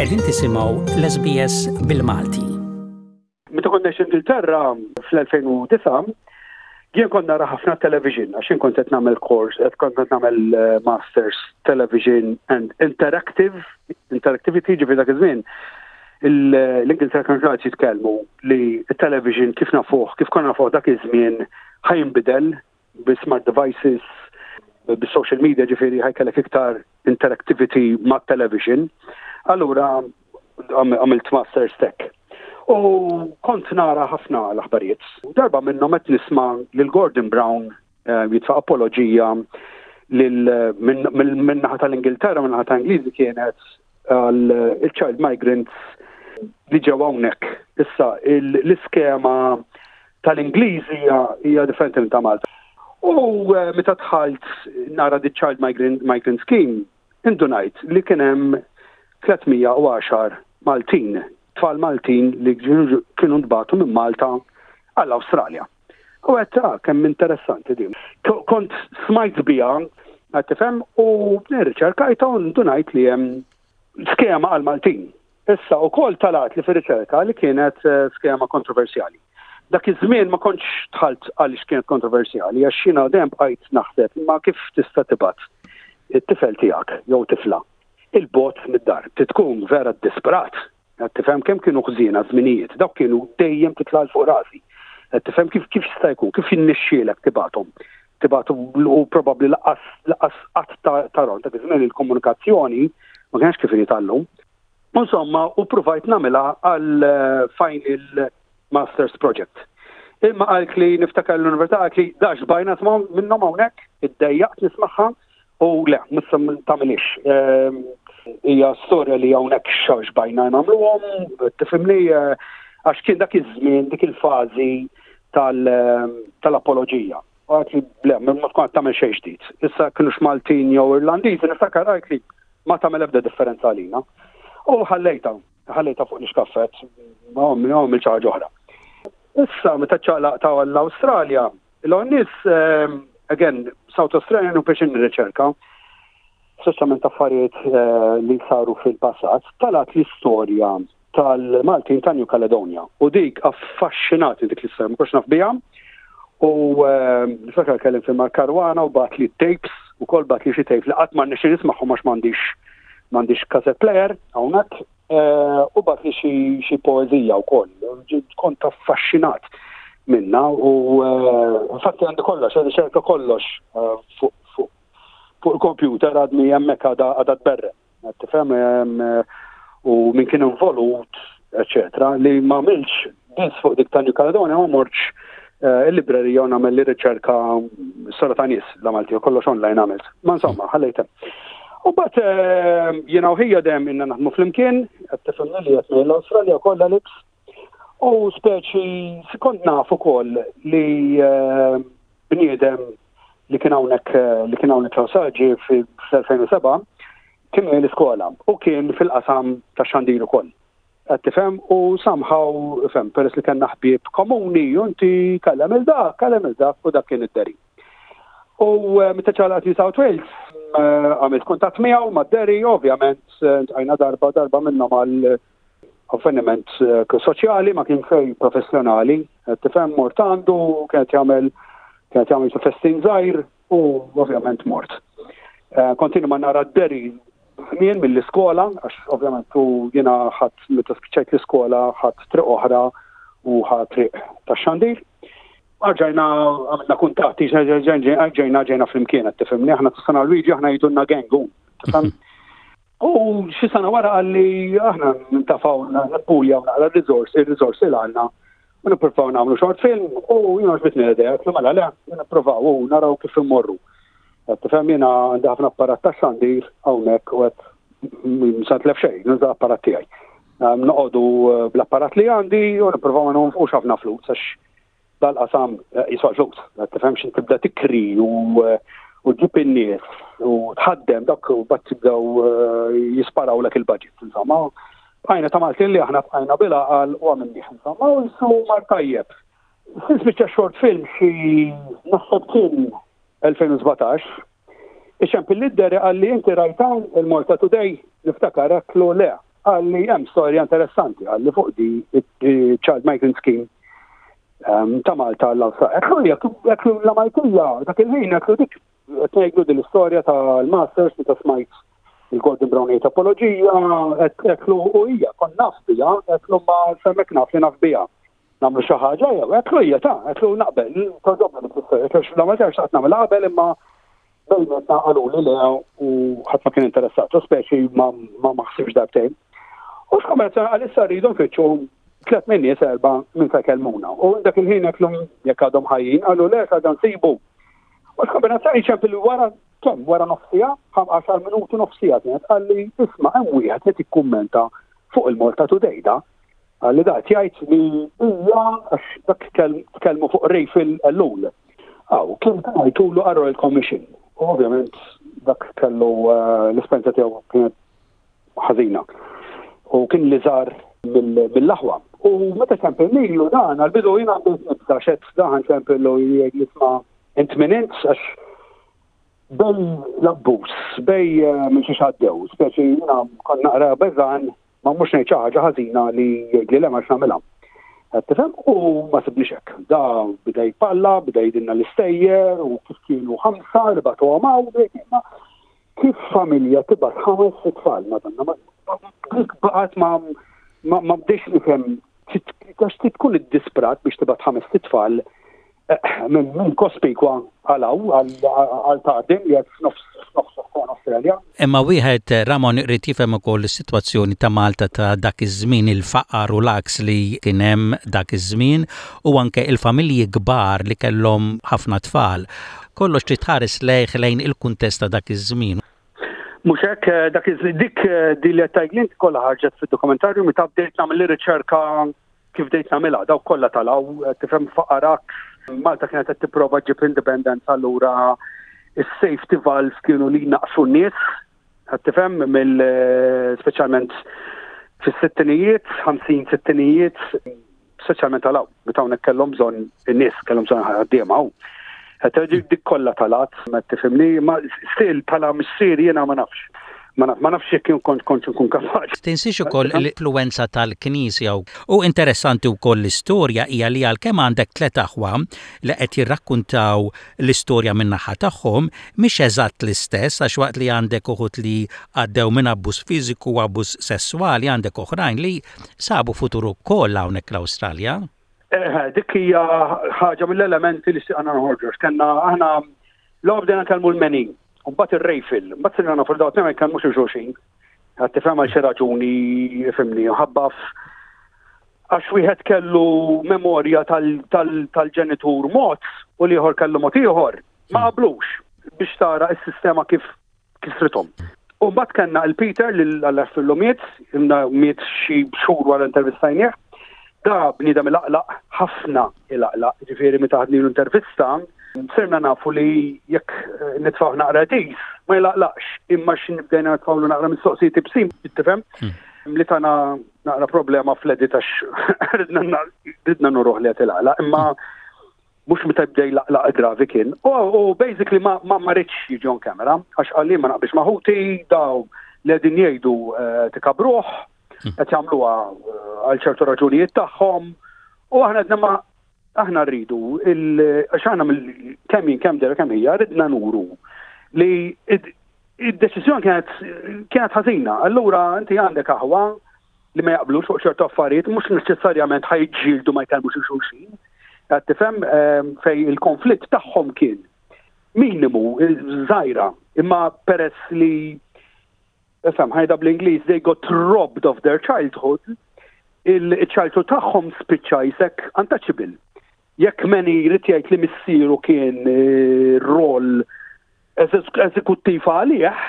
Qegħdin tisimgħu l-SBS bil-Malti. Meta konna Ingilterra fl-2009, jien kont nara ħafna television, għax jien kont qed nagħmel course, qed kont qed nagħmel eh, Masters Television and Interactive, Interactivity ġifi dak iż-żmien. L-Ingilterra kienu ġrat jitkellmu li t-television kif nafuh, kif konna nafuh dak iż-żmien ħajinbidel bi-smart devices, bi-social media ġifieri ħajkellek iktar interactivity ma' television. Allura għamilt Masters Tech. U kont nara ħafna l-aħbarijiet. Darba minnhom qed nisma' lil Gordon Brown eh, jitfa' apoloġija min-naħa tal-Ingilterra, min-naħa ta' Ingliżi kienet għal il-child migrants li ġew hawnhekk. Issa l-iskema tal-Ingliżi hija differenti minn ta' Malta. U eh, meta dħalt nara di Child Migrant, Migrant Scheme, indunajt li kien hemm 310 Maltin, tfal Maltin li kienu ntbagħtu minn Malta għall-Awstralja. U għedt, ah, kemm interessanti din. Kont smajt bija, għed tifhem, u nirriċerkajta u ndunajt li hemm skema għal-Maltin. Issa wkoll talat li fir-riċerka li kienet eh, skema kontroversjali. Dak iż-żmien ma kontx dħalt għaliex kienet kontroversjali, għax jiena dejjem bqajt naħseb ma kif tista' tibgħat it-tifel tiegħek jew tifla il-bot mid-dar. Titkun vera disperat. Tifhem kemm kienu ħżiena żminijiet, dawk kienu dejjem titla' fuq rasi. Tifhem kif kif jista' jkun, kif jinnexxielek tibgħathom. Tibgħatu u probabbli laqas laqas qatt tarom dak iż-żmien il-komunikazzjoni ma kienx kif inhi tal-lum. Insomma, u provajt nagħmilha għal eh, final Masters Project. Imma għalt li niftakar l-università għalt li dax bajna minnhom hawnhekk, iddejjaqt nismagħha u le, missa tagħmilix. Ehm, hija storja li hawnhekk xax bajna nagħmluhom, tifhimni eh, għax kien dak iż-żmien, dik il-fażi eh, tal-apoloġija. Għalt li le, ma tkun qed tagħmel xejn ġdid. Issa kienux Maltin jew Irlandiżi, niftakar għalt li ma tagħmel ebda differenza għalina. U ħallejta, ħallejta fuq l-iskaffet, ma għamil ħaġa oħra. Issa meta ċaqlaq ta' l-Awstralja, l-nies ehm, again, South Australian u biex nirriċerka, speċjalment affarijiet eh, li saru fil-passat, talat l-istorja tal-Maltin ta' New Caledonia. U dik affaxxinati dik l-istorja, ma kontx naf biha. U eh, niftakar kellim fil Mark Caruana u bat li tapes, u kol bat li xi tapes li qatt ma nixxi nismagħhom għax m'għandix m'għandix cassette player hawnhekk, eh, u bat li xi poeżija wkoll. Kont affaxxinat minna u eh, infatti għandi kollox, għandi ċerka kollox fuq il-computer għadni hemmhekk għadha tberre. Tifhem u min kien involut, eċetera, li ma għamilx biss fuq dik ta' New Caledonia ma mortx eh, il-librerija u nagħmel li riċerka sora ta' nies la Malti u kollox online għamilt. Ma insomma, ħallejtem. U bat eh, jiena u ħija dejjem inna naħdmu flimkien, qed tifhimni li qed l-Awstralja kollha liks. U speċi kont naf ukoll li eh, bniedem li kien hawnhekk eh, li kien hawnhekk l-Awsaġi fl-2007 kien l-iskola u kien fil-qasam ta' xandir ukoll. Qed tifhem u somehow fhem peress li kellna ħbieb komuni u inti kellem il dak, kellem il dak u dak kien id-deri. U eh, meta ċalaqt New South Wales, eh, għamilt kuntatt miegħu mad-deri, ovvjament għajna darba darba minnhom għal avveniment eh, soċjali ma kien xejn professjonali, tifhem mort għandu, kienet jagħmel kienet jagħmel xi festin żgħir u ovvjament mort. Eh, kontinu ma nara d-deri żmien mill-iskola, għax ovvjament u jiena ħadd meta spiċċajt l-iskola ħadd triq oħra u ħadd triq tax-xandir. Ġajna għamilna kuntatti, ġejna ġejna flimkien, tifhimni, aħna tas-sena Luigi aħna jidunna gengu. U xi sena wara qalli aħna nintafgħu nippuljaw naqra r-riżorsi, ir-riżorsi li għandna u nippruvaw nagħmlu short film u jiena għoġbitni l-idea, għedtlu mela le, nippruvaw u naraw kif immorru. Qed tifhem jiena għandi ħafna apparat ta' xandir hawnhekk u qed msa tlef xejn, nuża apparat tiegħi. Noqogħdu eh, bl-apparat li għandi u nippruvaw ma nonfqux ħafna flus għax dal-qasam eh, jiswa flus, tifhem xi tibda tikri u eh, u ġib in-nies u tħaddem dak u bat tibdew eh, jisparawlek il-budget, insomma. Bqajna ta' Maltin li aħna bqajna bila għal u għamilnieh, insomma, u jisu mar tajjeb. Spiċċa short film xi naħseb kien 2017, Iċempilli d-deri qalli inti rajta il-Malta Today, niftakar għedtlu le. Qalli hemm storja interessanti, qalli fuq di Child Migrant Scheme ehm, ta' Malta l-Awstralja. Għedtlu għedtlu la Maltija, dak il-ħin għedtlu dik qed ngħidlu din l-istorja tal-Masters meta smajt il-Gordon Brown jgħid apoloġija, għedtlu u hija kon naf bija, għedtlu ma semmek naf li naf bija. Nagħmlu xi ħaġa jew għedtlu hija ta' għedtlu naqbel, togħġobni dik l-istorja, għedtlu la Maltija xtaqt nagħmel qabel imma bejnietna qaluli le u ħadd ma kien interessat, u speċi ma ma ħsibx darbtejn. U x'kommenzjoni għalissa rridu nfittxu tlet minn nies erba' minn se kellmuna. U dak il-ħin għedtlhom jekk għadhom ħajjin, qalu le għadha nsibu. U x'kombinazzjoni ċempil wara kemm wara nofsija, 10 minuti nofsija kienet qalli isma' hemm wieħed li tikkummenta fuq il-Malta Today da. Qalli da jgħid li hija għax dak tkellmu fuq Rejfil Ellul. Aw, kien għajtulu għal Royal Commission. U ovvjament dak kellu eh, l-esperjenza tiegħu kienet ħażina. U kien li żar mill-aħwa. U meta ċempel lilu dan, għal-bidu jien għandu nibda xed daħan ċempel u jgħid jisma' int minn int għax bej l-abbuż, bej eh, minn xiex għaddew, speċi jiena kon naqra beżan ma mhux ngħid xi ħaġa ħażina li jgħidli le ma nagħmilha. Qed tifhem? U ma sibniex hekk. Da bida jpalla, bida jgħidilna l-istejjer u kif kienu ħamsa li bagħtuhom hawn, kif familja tibgħat ħames tfal madonna. Dik baqgħet ma ma bdejx nifhem għax tkun iddisprat biex tibgħat ħames tfal eh, minn Kospikwa għal hawn għal Tardin li qed f'nofs Australia. Imma wieħed Ramon irid jifhem ukoll is-sitwazzjoni ta' Malta ta' dak iż-żmien il-faqar u l-għaks li kien hemm dak iż-żmien u anke il-familji kbar li kellhom ħafna tfal. Kollox trid tħares lejh lejn il-kuntest ta' dak iż-żmien. Mhux hekk, eh, dak iż dik eh, di li qed tgħid int kollha ħarġet fid-dokumentarju meta bdejt nagħmel ir-riċerka kif bdejt nagħmilha dawk kollha talgħu eh, tifhem faqarak Malta kienet qed tipprova ġib indipendenza allura is-safety valve kienu li naqsu n-nies, qed tifhem mill speċjalment fis-sittinijiet, 50 sittinijiet, speċjalment għal hawn, meta hawnhekk kellhom bżonn in-nies, kellhom bżonn ħaddiema hawn. Qed dik kollha talat, ma tifhimni, ma still bħala missier jiena ma nafx. Ma naf, ma nafx jekk kont kont nkun kapaċi. Tinsiex ukoll l-influwenza tal-Knisja u interessanti wkoll l-istorja hija li għalkemm għandek tliet aħwa li qed jirrakkuntaw l-istorja min-naħa tagħhom, mhix eżatt l-istess għax waqt li għandek uħud li għaddew minn abbuż fiżiku u abbuż sesswali għandek oħrajn li sabu futur ukoll hawnhekk l-Awstralja. Eh, dik hija ħaġa mill-elementi li xtiqna noħorġu, kellna aħna l-ewwel bdejna nkellmu l-meni, u mbagħad ir-rejfil, mbagħad sirna nafu dawk ma jkellmux il-xulxin. Qed tifhem għal xi raġuni fimni, ħabba għax wieħed kellu memorja tal-ġenitur mod u l-ieħor kellu mod ieħor, ma qablux biex tara s-sistema kif kisrithom. U mbagħad kellna il-Peter li Alla fillu miet, imna miet xi xhur wara intervistajnieh. Da bniedem ilaqlaq ħafna ilaqlaq, ġifieri meta ħadnilu intervista, sirna nafu li jekk eh, nitfgħu naqra tis, ma jlaqlaqx, imma xi nibdejna nitfgħulu naqra mistoqsijiet ibsin, tifhem? Hmm. Li tana naqra problema fl-edit għax ridna nuruh li qed ilaqlaq, imma mhux meta jibda jlaqlaq gravi kien. U basically ma ma ridx jiġi on camera, għax qalli ma naqbilx ma' ħuti daw li qegħdin jgħidu eh, tikabruh, hmm. qed jagħmluha eh, għal ċertu raġunijiet tagħhom. U aħna għedna ma aħna rridu għax aħna kemm jien kemm dera kemm hija ridna nuru li id-deċiżjoni kienet kienet ħażina. Allura inti għandek aħwa li ma jaqblux fuq ċertu affarijiet, mhux neċessarjament ħajġġieldu ma jkellmux il xulxin. Qed tifhem ehm, fej il-konflitt tagħhom kien minimu, żgħira, imma peress li Ifhem, ħajda bl-Ingliż, they got robbed of their childhood, il-childhood tagħhom spiċċa jisek untouchable. Jekk meni jrid jgħid li missieru kien eh, rol eżekuttiv għalih,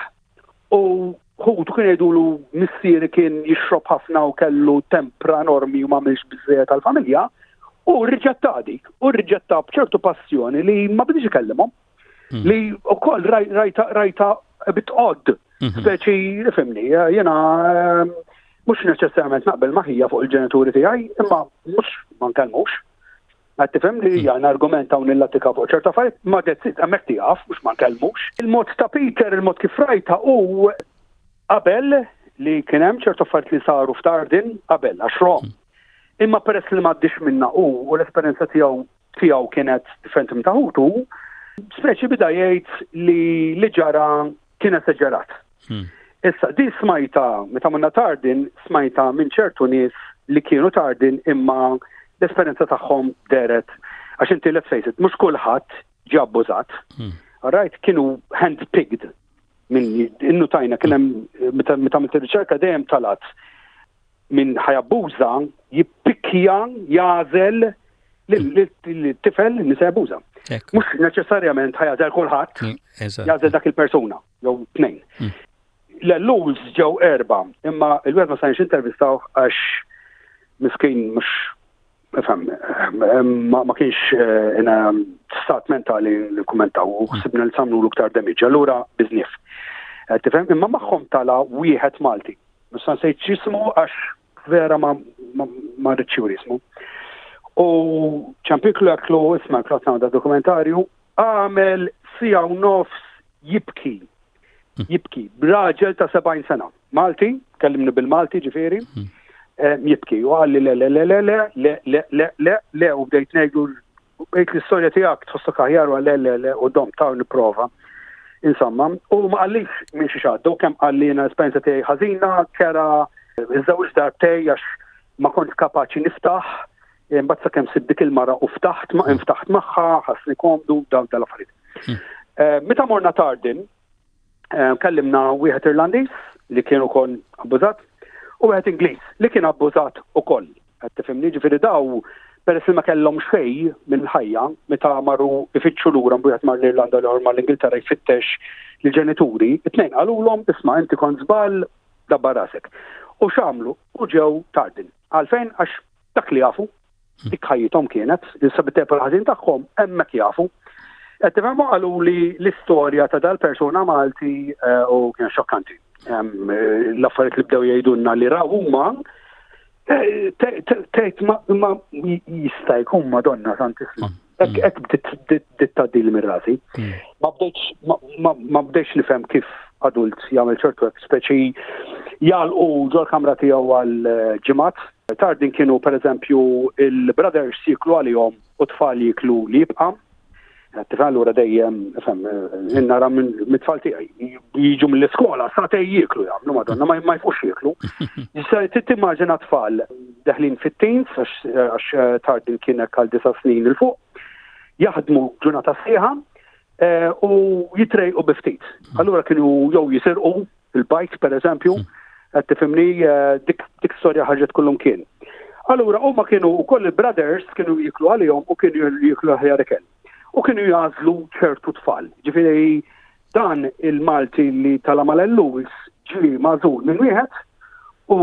U ħutu kien jgħidulu missieri kien jixrob ħafna u kellu tempra enormi u m'għamilx biżżejjed tal-familja, u rriġetta dik, u rriġetta b'ċertu passjoni li ma bidix ikellimhom. Hmm. Li wkoll rajta rajta bit odd. Mhm. Speċi, fimni, jena ehm, mhux neċessarjament naqbel maħija fuq il-ġenituri tiegħi, imma mhux ma nkellmux. Qed tifhem li hija argument hawn il-latika fuq ċerta affarijiet, ma that's it, hemmhekk tieqaf mhux ma nkellmux. Il-mod ta' Peter, il-mod kif rajta hu qabel li kien hemm ċertu affarijiet li saru f'Tardin qabel għax rom. Imma peress li m'għaddix minna u u l-esperjenza tiegħu tiegħu kienet differenti minn ta' ħutu, speċi bida jgħid li li ġara kien esaġerat. Issa, di smajta, meta morna Tardin, smajta minn ċertu nies li kienu Tardin imma l-esperjenza tagħhom deret. Għax inti, let's face it, mhux kulħadd ġie abbużat. Right, kienu hand-picked minn innutajna kien hemm meta għamilt ir-riċerka dejjem talat min ħa jabbuża jippikkja jagħżel lit-tifel li se jabbuża. Mhux neċessarjament ħa jagħżel kulħadd, jagħżel dak il-persuna jew tnejn. L-Elluls ġew erba, imma il-wieħed ma stajniex intervistaw għax miskin mhux Ifhem, ma kienx eh, in a stat mentali li kummentaw u ħsibna li samlu l-iktar damage. Allura biznif. Eh, tifhem, imma magħhom tala wieħed Malti. Mhux nsejt x'ismu għax vera ma ma rridx juri ismu. U ċampiklu għaklu isma' klotna da dokumentarju għamel sija u nofs jibki. Jibki. Raġel ta' 70 sena. Malti, kellimni bil-Malti ġifieri, jibki u qalli le le le le le le le le le le u bdejt ngħidlu bdejt l-istorja tiegħek tħossok aħjar u le le le u dom ta' nipprova. Insomma, u ma qallix minn xi xaddu kemm qalli jiena l-esperjenza tiegħi ħażina, kera, iż-żewġ darbtej għax ma kontx kapaċi niftaħ, imbagħad sakemm sib dik il-mara u ftaħt ma inftaħt magħha, ħassni komdu, dawn tal-affarijiet. Meta morna Tardin, kellimna wieħed Irlandiż li kien ukoll abbużat u wieħed Ingliż li kien abbużat ukoll. Qed tifhimni, ġifieri daw peress li ma kellhom xejn mill-ħajja meta marru ifittxu lura wieħed mar l-Irlanda l-ieħor mar l-Ingilterra jfittex lill-ġenituri, it-tnejn qalulhom isma' inti kont żball dabbar rasek. U x'għamlu? U ġew Tardin. Għalfejn? Għax dak li jafu. Dik ħajjithom kienet, issa bit-temp ħażin tagħhom hemmhekk jafu. Qed tifhem qalu li l-istorja ta' dal-persuna Malti eh, u kien xokkanti. Eh, l-affarijiet li bdew jgħidulna li raw huma eh, tgħid ma jista' jkun Madonna Santissima. Hekk bdiet tgħaddili minn rasi. Ma bdejtx ma bdejtx nifhem kif adult jagħmel ċertu hekk speċi jagħlqu ġol-kamra tiegħu għal ġimgħat. Tardin kienu pereżempju il-brothers jieklu għalihom u tfal jieklu li jibqa'. Tifhem allura dejjem ifhem nara mit-tfal tiegħi jiġu mill-iskola sagħtejn jieklu jagħmlu Madonna ma jfux jieklu. Issa trid timmaġina tfal deħlin fit-teens għax eh, Tardin kien hekk għal disa' snin il fuq, jaħdmu ġurnata sħiħa eh, u jitrejqu bi ftit. Allura kienu jew jisirqu il-bike per eżempju, qed tifhimni eh, dik dik storja ħarġet kullum kien. Allura huma kienu wkoll il-brothers kienu jiklu għalihom u kienu jiklu aħjar ikel. U kienu jagħżlu ċertu tfal. Ġifieri dan il-Malti li tal-Amalelluls ġie magħżul minn wieħed u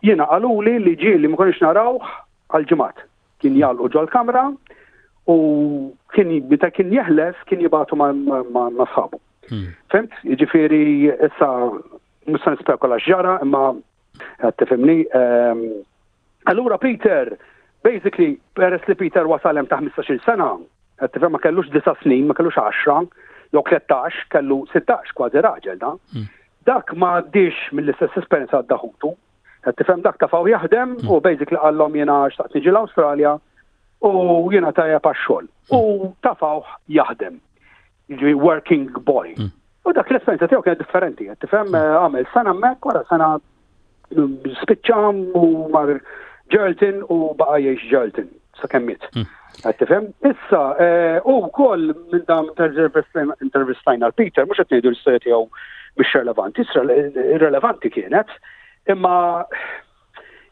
jiena qaluli li ġie li ma konniex narawh għal ġimgħat. Kien jagħlqu ġol-kamra u kien meta kien jeħles kien jibgħatu ma' sħabu. Fhimt? Jiġifieri issa mhux se nispekula x'ġara imma qed tifhimni. Ehm, allura Peter, basically, peress li Peter wasal hemm ta' 15-il sena, qed tifhem ma kellux disa' snin, ma kellux 10, jew 13, kellu 16 kważi raġel da. Dak ma għaddiex mill-istess esperjenza għadda ħutu. Qed tifhem dak tafaw jaħdem u basically qallhom jiena xtaqt niġi l-Awstralja u jiena tajjeb għax-xogħol. U tafawh jaħdem. Jiġifieri working boy. U dak l-esperjenza tiegħu kienet differenti, qed tifhem eh, għamel sena hemmhekk wara sena mm, spiċċa u mar Geraldton u baqa' jgħix Geraldton sakemm miet. Qed tifhem? Issa, eh, u wkoll minn dan intervistajna l-Peter, mhux qed ngħidu l-istorja tiegħu mhix relevanti, irrelevanti kienet, imma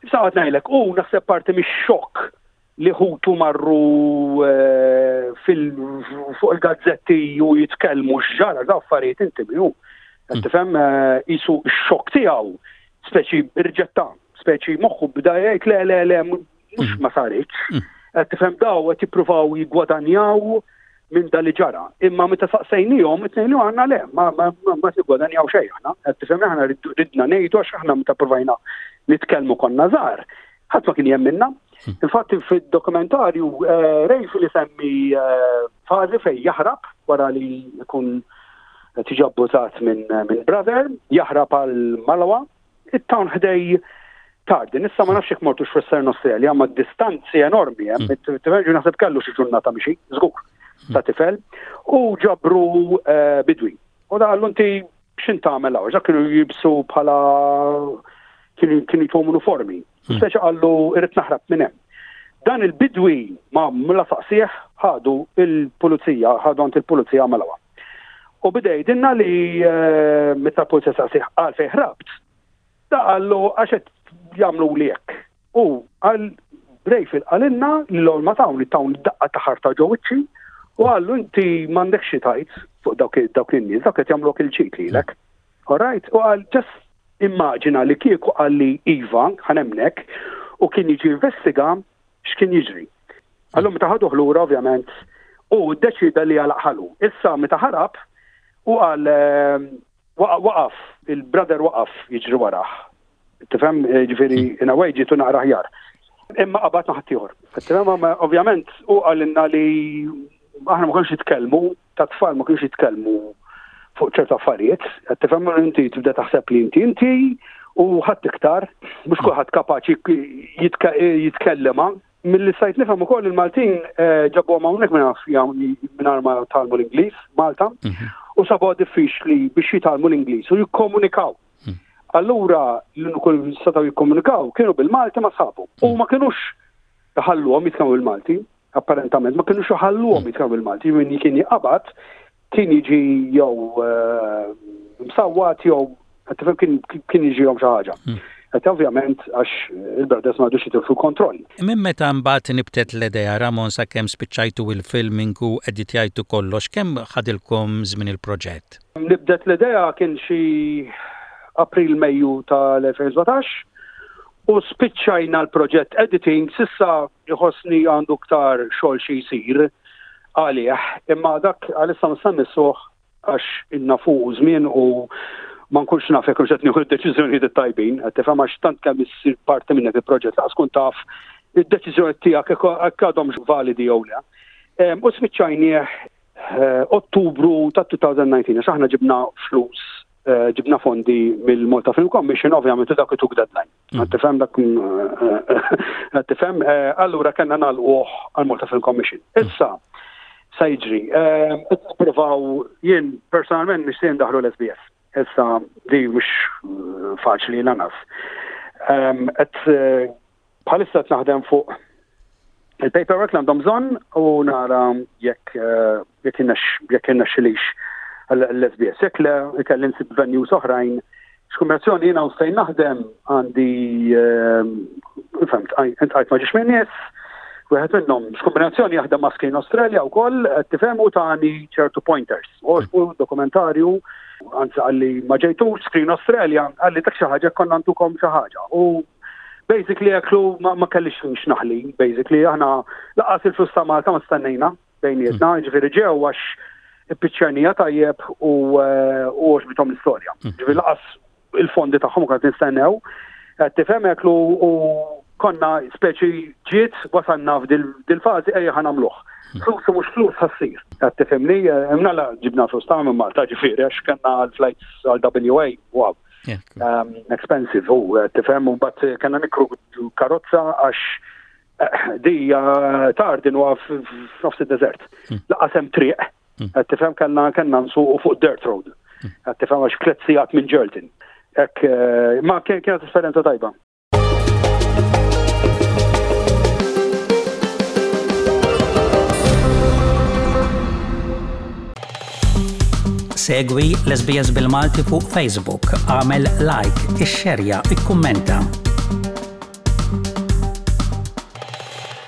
issa qed ngħidlek, u naħseb parti mix-xokk li ħutu marru eh, fuq il-gazzetti u jitkellmu x'ġara da affarijiet intimi hu. Qed tifhem eh, isu x-xokk tiegħu speċi irġetta, speċi moħħu bda jgħid le le le mhux mm. ma saritx. Mm. Qed tifhem daw qed jippruvaw jiggwadanjaw minn da li ġara. Imma meta saqsejnihom, it-tnejn li għandna le, ma ma ma tiggwadanjaw xejn aħna. Qed tifhem aħna ridna ngħidu għax aħna meta provajna nitkellmu konna żgħar. Ħadd ma kien jemminna. Infatti fid-dokumentarju eh, Rejf li semmi eh, fażi fejn jaħrab wara li jkun tiġi abbużat minn min brother, jaħrab għal Malawa. It-town ħdej Tardin. Issa ma nafx jekk mortux f'Western Australia, ma distanzi enormi hemm, mm. tifel naħseb kellu xi ġurnata mixi, żgur, mm. ta' tifel, u ġabru eh, bidwi. U da qallu inti x'int tagħmel hawn, dak kienu jibsu bħala kienu jtuhom uniformi. Mm. Speċi qallu irrid naħrab minn hemm. Dan il-bidwi ma mla saqsih ħadu il-pulizija, ħadu għand il-pulizija għamelawa. U bidej dinna li eh, meta l-pulizija saqsih għal fejn ħrabt, Da qallu għax qed jagħmlu li hekk. U għal Brejfil qalilna li l ma tawni tawni daqqa ta' ħarta ġo wiċċi u qallu inti m'għandek xi tajt fuq dawk dawk in-nies, dawk qed jagħmluk il-ġid lilek. All right? U qal just immaġina li kieku qalli iva ħanemnek u kien jiġi investiga x'kien jiġri. Allura meta ħaduh lura ovvjament u ddeċida li għalaq ħalu. Issa meta ħarab u qal ehm, Waqaf, il-brother waqaf jiġri warah. Tifhem, eh, ġifieri hmm. in a way ġietu naqra aħjar. Imma qabad ma' ħaddieħor. Tifhem, ovvjament u qalilna li aħna ma kienx jitkellmu, ta' tfal ma kienx jitkellmu fuq ċerta affarijiet, qed tifhem inti tibda taħseb li inti inti u ħadd iktar, mhux kulħadd kapaċi jitkellema Milli stajt nifhem ukoll il-Maltin eh, ġabuhom hawnhekk mingħajr ma tgħallmu l-Ingliż Malta mhm. u sabuha diffiċli biex jitgħallmu l-Ingliż u jikkomunikaw. Mhm. Allura l-ukoll setgħu jikkomunikaw kienu bil-Malti ma sabu. U mhm. ma kinux iħalluhom jitkellmu bil-Malti, apparentament ma kinux iħalluhom jitkellmu bil-Malti, min kien jqabad kien jiġi jew eh, msawwat jew kien kien jiġihom xi ħaġa. Hmm. Qed ovvjament għax il-brothers ma għadux jitilfu kontroll. Minn meta mbagħad nibtet l-idea Ramon sakemm spiċċajtu il-filming u editjajtu kollox, kemm ħadilkom żmien il-proġett? Nibdet l-idea kien xi April Mejju tal-2017 u spiċċajna l-proġett editing sissa jħossni għandu ktar xogħol xi jsir għalih, imma dak għalissa nista' nissuh għax ilna fuq żmien u ma nkunx naf jekk qed nieħu d-deċiżjonijiet it-tajbin, qed tifhem għax tant kemm issir parti minnek il-proġett laqas tkun taf id-deċiżjoni tiegħek jekk għadhomx validi jew le. U spiċċajnieh eh, Ottubru ta' 2019 għax aħna ġibna flus eh, ġibna fondi mill-Malta Film Commission, ovvjament dak it deadline. Mm. Għad tifhem dak għad tifhem, eh, allura kellna nagħlquh għal Malta Film Commission. Mm. Issa sa jiġri, eh, provaw jien personalment nixtieq ndaħlu l-SBS. Issa di mhux eh, faċli lanqas. Ehm, qed bħalissa qed naħdem fuq il-paperwork li għandhom bżonn u nara jekk eh, jekk jekk irnexxilix l-SBS. Jekk le ikelli nsib venues oħrajn X'kombinazzjoni jiena u fejn naħdem għandi eh, fhemt, intqajt ma ġiex minn nies, wieħed minnhom x'kombinazzjoni jaħdem ma' Screen Australia wkoll qed tifhem u tani ċertu pointers. Għoġbu dokumentarju, anzi qalli ma ġejtux Screen Australia, qalli dak xi ħaġa konna ntukom xi ħaġa. U basically għeklu ma, ma kellix naħli, basically aħna laqas il-flus ta' Malta ma stennejna bejnietna, mm. ġifieri ġew għax ippicċernija tajjeb u eh, u għoġbithom l-istorja. Mm. Ġifieri laqas il-fondi tagħhom kont nistennew, qed tifhem għeklu u konna speċi ġiet wasalna f'dil-fażi ejja ħa nagħmluh. Mm. Flus u mhux flus ħassir. Qed tifhimni, eh, imnalla ġibna flus ta' minn Malta ġifieri għax kellna l-flights għal WA, wow. Um, expensive u eh, tifhem u bat eh, kellna nikru karozza għax eh, di tard huwa f'nofs id-deżert. Hmm. Laqas hemm triq, hmm. tifhem kellna kellna nsuqu fuq dirt road. Hmm. Tifhem għax tliet sigħat minn Geraldton. Hekk ma kienet esperjenza tajba. Segwi l-SBS bil-Malti fuq Facebook, għamel like, ixxerja, ikkummenta.